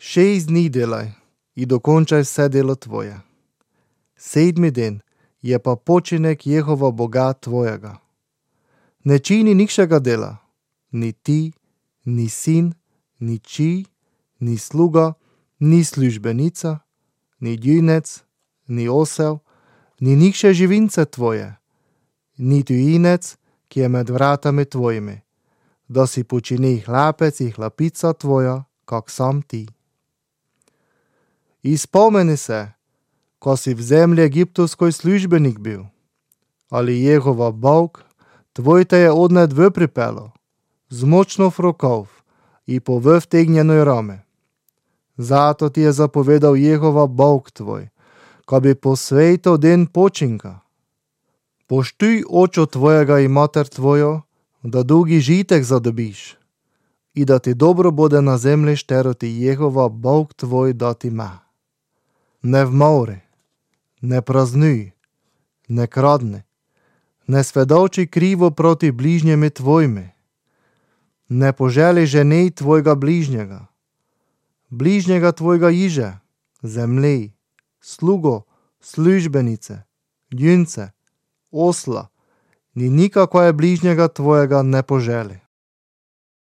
6 dni delaj i dokončaj vse delo tvoje. 7. den je pa počinek Jehova Boga tvojega. Ne čini nikšega dela, ni ti, ni sin, ni či, ni sluga, ni službenica, ni junec, ni osel, ni nikše živince tvoje, ni tujinec, ki je med vratami tvojimi, da si počini hlapec i hlapica tvoja, kak sam ti. I spomeni se, ko si v zemlji egiptovskoj službenik bil, ali Jehova Bog tvoj te je odned v pripelo, z močno v rokov i po v vtegnjenoj rame. Zato ti je zapovedal Jehova Bog tvoj, ko bi posvejtal den počinka. Poštuj očo tvojega i mater tvojo, da dugi žitek zadobiš i da ti dobro bude na zemlji, štero ti Jehova Bog tvoj dati ima. Ne vmori, ne praznuj, ne kradni, ne svedovči krivo proti bližnjemi tvojimi, ne poželi ženi tvojega bližnjega tvojega iže, zemlji, slugo, službenice, junce, osla, ni nikako je bližnjega tvojega ne poželi.